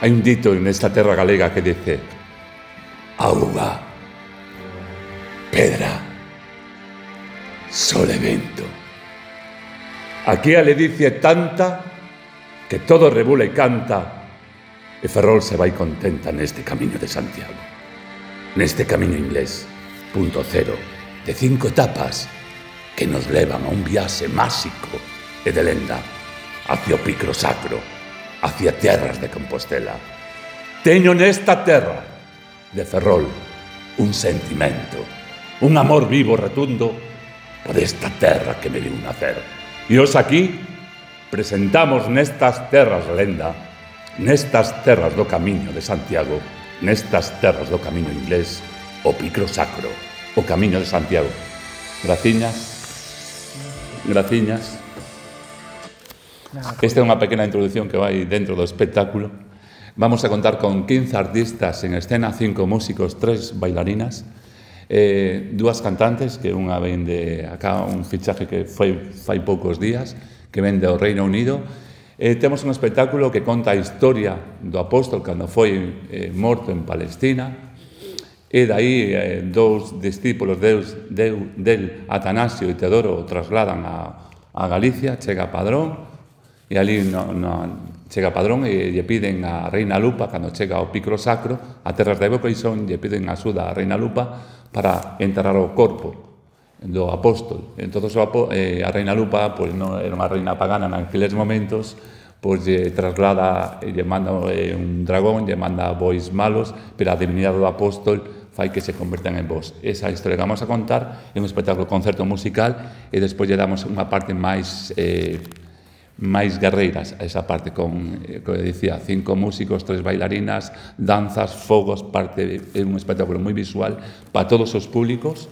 Hai un dito nesta terra galega que dice: auga, pedra, sol e vento. Aquí a ledicia é tanta que todo rebula e canta, e Ferrol se vai contenta neste camiño de Santiago, neste camiño inglés, punto cero, de 5 etapas que nos levan a un viaxe máxico e de lenda hacia o Picro Sacro, hacia terras de Compostela. Teño nesta terra de Ferrol un sentimento, un amor vivo rotundo por esta terra que me viu nacer. E os aquí presentamos nestas terras lenda, nestas terras do camiño de Santiago, nestas terras do camiño inglés, o Picro Sacro, o camiño de Santiago. Graciñas, graciñas. Esta é unha pequena introdución que vai dentro do espectáculo. Vamos a contar con 15 artistas en escena, 5 músicos, 3 bailarinas, 2 cantantes, que unha ven de acá, un fichaje que fai poucos días, que ven do Reino Unido. Temos un espectáculo que conta a historia do apóstol cando foi morto en Palestina, e dai 2 discípulos del Atanasio e Teodoro o trasladan a Galicia, chega Padrón, e ali chega Padrón e lle piden a Reina Lupa, cando chega ao Picro Sacro, a terras de Boqueixón, lle piden axuda a Reina Lupa para enterrar o corpo do apóstol. Entón, a Reina Lupa, pois non era unha reina pagana naqueles momentos, pois lle traslada, lle manda un dragón, lle manda bois malos, pero a divinidade do apóstol fai que se convertan en vos. Esa historia que vamos a contar é un espectáculo concerto musical e despois lle damos unha parte máis guerreiras a esa parte con, como dicía, 5 músicos, 3 bailarinas, danzas, fogos, é un espectáculo moi visual para todos os públicos,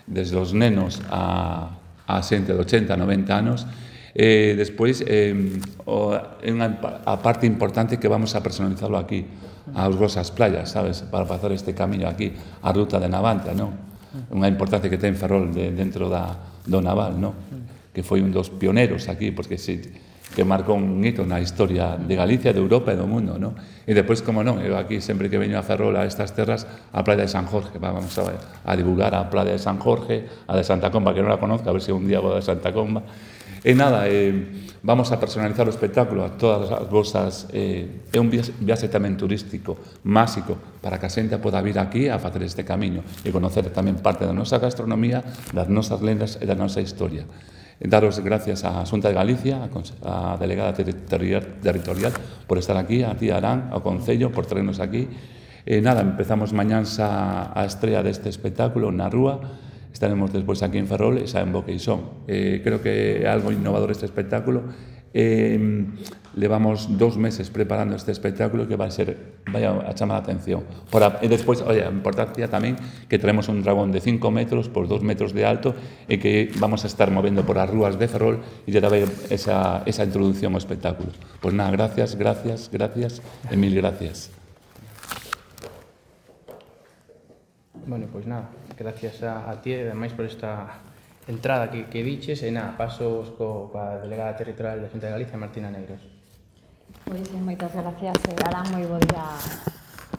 desde os nenos a xente de 80, 90 anos. Despois, a parte importante que vamos a personalizarlo aquí, aos vosas playas, sabes, para facer este camiño aquí, a ruta de Navantia, non? Unha importancia que ten Ferrol dentro do naval, non? Que foi un dos pioneros aquí, porque que marcou un hito na historia de Galicia, de Europa e do mundo, non? E depois, como non, eu aquí sempre que veño a Ferrol a estas terras, a Playa de San Jorge, vamos a divulgar a Playa de San Jorge, a de Santa Comba, que non la conozco, a ver se un día vou a Santa Comba. E nada, vamos a personalizar o espectáculo a todas as vosas... É un viaxe tamén turístico, máxico, para que a xente poda vir aquí a facer este camiño e conocer tamén parte da nosa gastronomía, das nosas lendas e da nosa historia. Daros gracias á Xunta de Galicia, á Delegada Territorial, por estar aquí, a ti Arán, ao Concello, por traernos aquí. Nada, empezamos mañáns a estrella deste espectáculo na rúa, estaremos despois aquí en Ferrol e xa en Boqueixón. Creo que é algo innovador este espectáculo. Levamos 2 meses preparando este espectáculo que vai a chamar a atención. E despois, a importancia tamén que traemos un dragón de 5 metros por 2 metros de alto e que vamos a estar movendo por as rúas de Ferrol e lle dará esa introducción ao espectáculo. Pois nada, gracias e mil gracias. Bueno, pois nada, gracias a ti e ademais por esta entrada que diches e nada, pasos coa Delegada Territorial da Xunta de Galicia, Martina Negros. Pois moitas gracias, Arán, moi bo día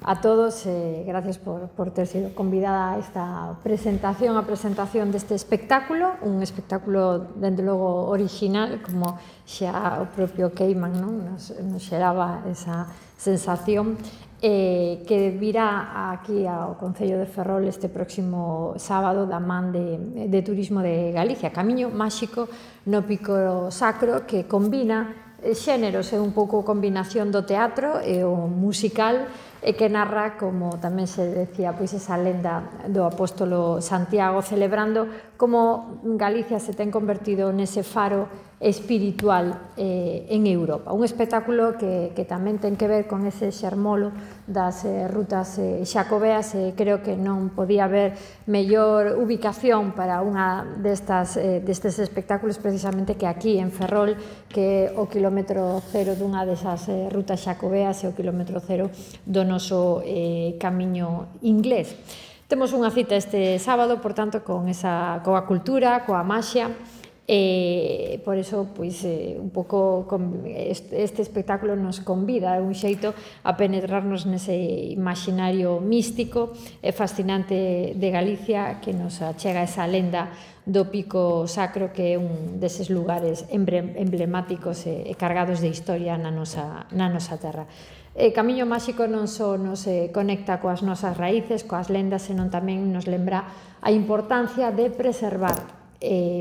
a todos, gracias por ter sido convidada a esta presentación, a presentación deste espectáculo, un espectáculo, dende logo, original, como xa o propio Keiman nos xeraba esa sensación, que virá aquí ao Concello de Ferrol este próximo sábado da man de Turismo de Galicia, Camiño Máxico no Picro Sacro, que combina xéneros, é un pouco combinación do teatro e o musical, e que narra, como tamén se decía, pois esa lenda do apóstolo Santiago, celebrando como Galicia se ten convertido nese faro espiritual en Europa. Un espectáculo que tamén ten que ver con ese xermolo das rutas xacobeas, e creo que non podía haber mellor ubicación para unha destes espectáculos precisamente que aquí en Ferrol, que o kilómetro cero dunha desas rutas xacobeas e o kilómetro cero do noso camiño inglés. Temos unha cita este sábado, por tanto, coa cultura, coa maxia, Por eso, pois, un pouco este espectáculo nos convida de un xeito a penetrarnos nese imaginario místico e fascinante de Galicia, que nos achega esa lenda do Pico Sacro, que é un deses lugares emblemáticos e cargados de historia na nosa terra. Camiño Máxico non só nos conecta coas nosas raíces, coas lendas, senón tamén nos lembra a importancia de preservar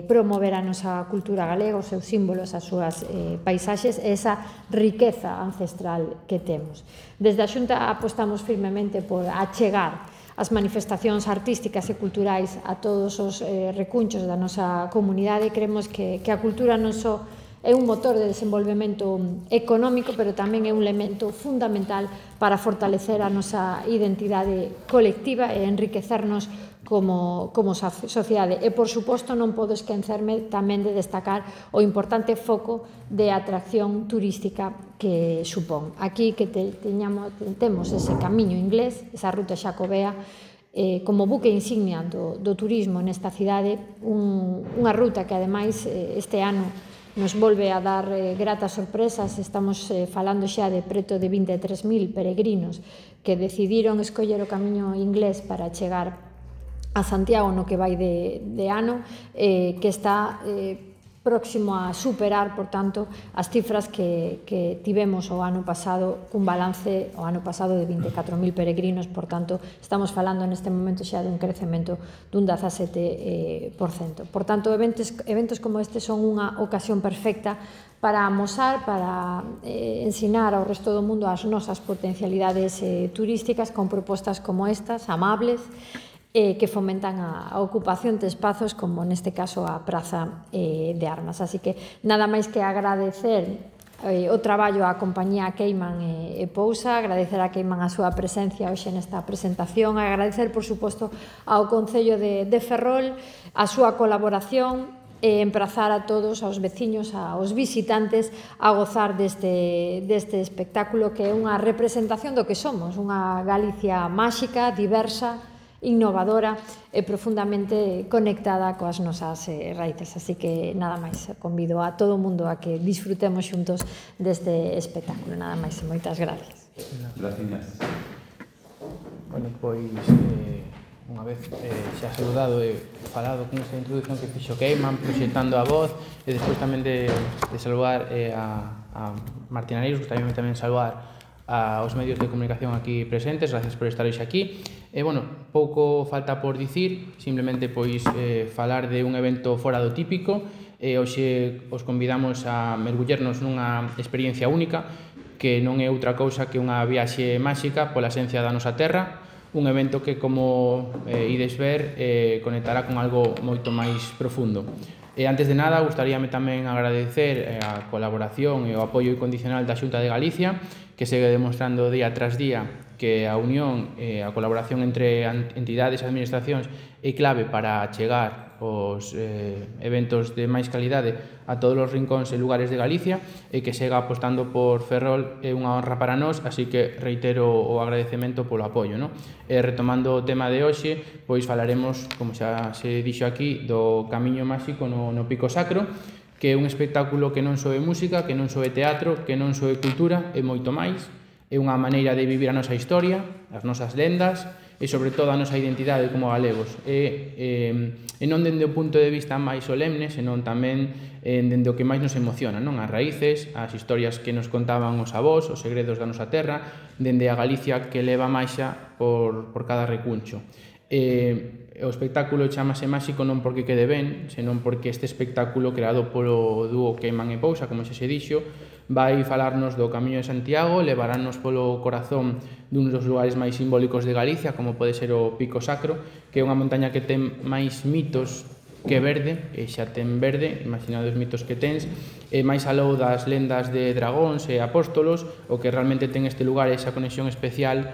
promover a nosa cultura galega, os seus símbolos, as súas paisaxes e esa riqueza ancestral que temos. Desde a Xunta apostamos firmemente por achegar as manifestacións artísticas e culturais a todos os recunchos da nosa comunidade. Creemos que a cultura non só é un motor de desenvolvemento económico, pero tamén é un elemento fundamental para fortalecer a nosa identidade colectiva e enriquecernos como sociedade. E, por suposto, non podo esquecerme tamén de destacar o importante foco de atracción turística que supón. Aquí que temos ese camiño inglés, esa ruta xacobea, como buque insignia do turismo nesta cidade, unha ruta que, ademais, este ano nos volve a dar gratas sorpresas. Estamos falando xa de preto de 23.000 peregrinos que decidiron escoller o camiño inglés para chegar a Santiago no que vai de ano, que está próximo a superar, por tanto, as cifras que tivemos o ano pasado, cun balance o ano pasado de 24.000 peregrinos. Por tanto, estamos falando neste momento xa dun crecemento dun 17%. Por tanto, eventos como este son unha ocasión perfecta para amosar, para ensinar ao resto do mundo as nosas potencialidades turísticas con propostas como estas, amables, que fomentan a ocupación de espazos como neste caso a Praza de Armas. Así que nada máis que agradecer o traballo á compañía Queiman e Pousa, agradecer a Queiman a súa presencia hoxe nesta presentación, agradecer, por suposto, ao Concello de Ferrol a súa colaboración e emprazar a todos, aos veciños, aos visitantes, a gozar deste espectáculo que é unha representación do que somos, unha Galicia máxica, diversa, innovadora e profundamente conectada coas nosas raíces. Así que nada máis, convido a todo o mundo a que disfrutemos xuntos deste espectáculo. Nada máis e moitas gracias. Gracias. Bueno, pois, unha vez xa saludado e falado con esa introducción que fixo Queiman, proxectando a voz, e despois tamén de saludar a Martín Areiros, gustaríame tamén saludar aos medios de comunicación aquí presentes. Gracias por estar hoxe aquí. Bueno, pouco falta por dicir, simplemente pois falar de un evento fora do típico. Hoxe os convidamos a mergullernos nunha experiencia única que non é outra cousa que unha viaxe máxica pola esencia da nosa terra, un evento que, como ides ver, conectará con algo moito máis profundo. Antes de nada, gustaríame tamén agradecer a colaboración e o apoio incondicional da Xunta de Galicia, que segue demostrando día tras día que a unión e a colaboración entre entidades e administracións é clave para chegar os eventos de máis calidade a todos os rincóns e lugares de Galicia, e que sega apostando por Ferrol é unha honra para nós, así que reitero o agradecemento polo apoio. Retomando o tema de hoxe, pois falaremos, como xa se dixo aquí, do Camiño Máxico no Pico Sacro, que é un espectáculo que non só é música, que non só é teatro, que non só é cultura, é moito máis. É unha maneira de vivir a nosa historia, as nosas lendas e, sobre todo, a nosa identidade como galegos. E non dende o punto de vista máis solemne, senón tamén dende o que máis nos emociona, as raíces, as historias que nos contaban os avós, os segredos da nosa terra, dende a Galicia que leva máxa por cada recuncho. O espectáculo chamase Máxico non porque quede ben, senón porque este espectáculo creado polo dúo Queiman e Pousa, como xa se dixo, vai falarnos do Camiño de Santiago, levarános polo corazón dun dos lugares máis simbólicos de Galicia, como pode ser o Pico Sacro, que é unha montaña que ten máis mitos que verde, e xa ten verde, imaginado os mitos que tens, e máis aló das lendas de dragóns e apóstolos, o que realmente ten este lugar esa conexión especial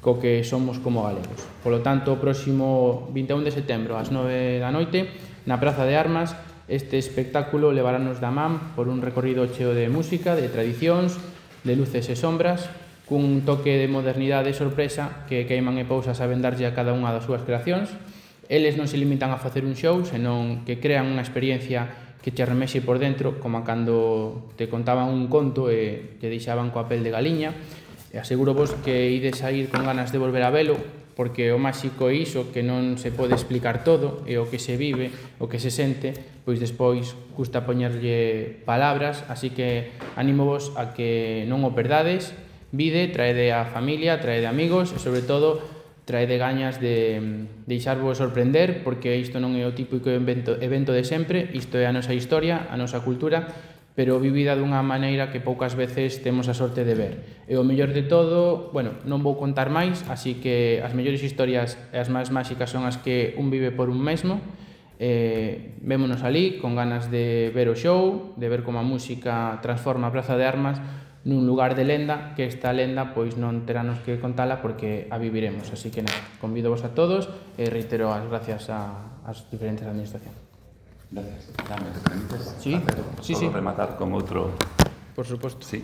co que somos como galegos. Polo tanto, o próximo 21 de setembro ás 9 da noite, na Praza de Armas, este espectáculo levarános da man por un recorrido cheo de música, de tradicións, de luces e sombras, cun toque de modernidade e sorpresa que Queiman e Pousa saben darlle a cada unha das súas creacións. Eles non se limitan a facer un show, senón que crean unha experiencia que te remexe por dentro, como cando te contaban un conto e te deixaban coa pel de galiña. E aseguro vos que ides a ir con ganas de volver a velo, porque o máxico é iso, que non se pode explicar todo, e o que se vive, o que se sente, pois despois custa poñerlle palabras, así que animo vos a que non o perdades, vide, traede a familia, traede amigos, e sobre todo traede gañas de deixarvos sorprender, porque isto non é o típico evento de sempre, isto é a nosa historia, a nosa cultura, pero vivida dunha maneira que poucas veces temos a sorte de ver. E o mellor de todo, bueno, non vou contar máis, así que as mellores historias e as máis máxicas son as que un vive por un mesmo. Vémonos ali con ganas de ver o show, de ver como a música transforma a Praza de Armas nun lugar de lenda, que esta lenda pois non terános que contala porque a viviremos. Así que nada, convido vos a todos e reitero as gracias ás diferentes administracións. Gracias. Dame, ¿me permites? Sí, sí, sí. Rematar con outro... Por suposto. Sí.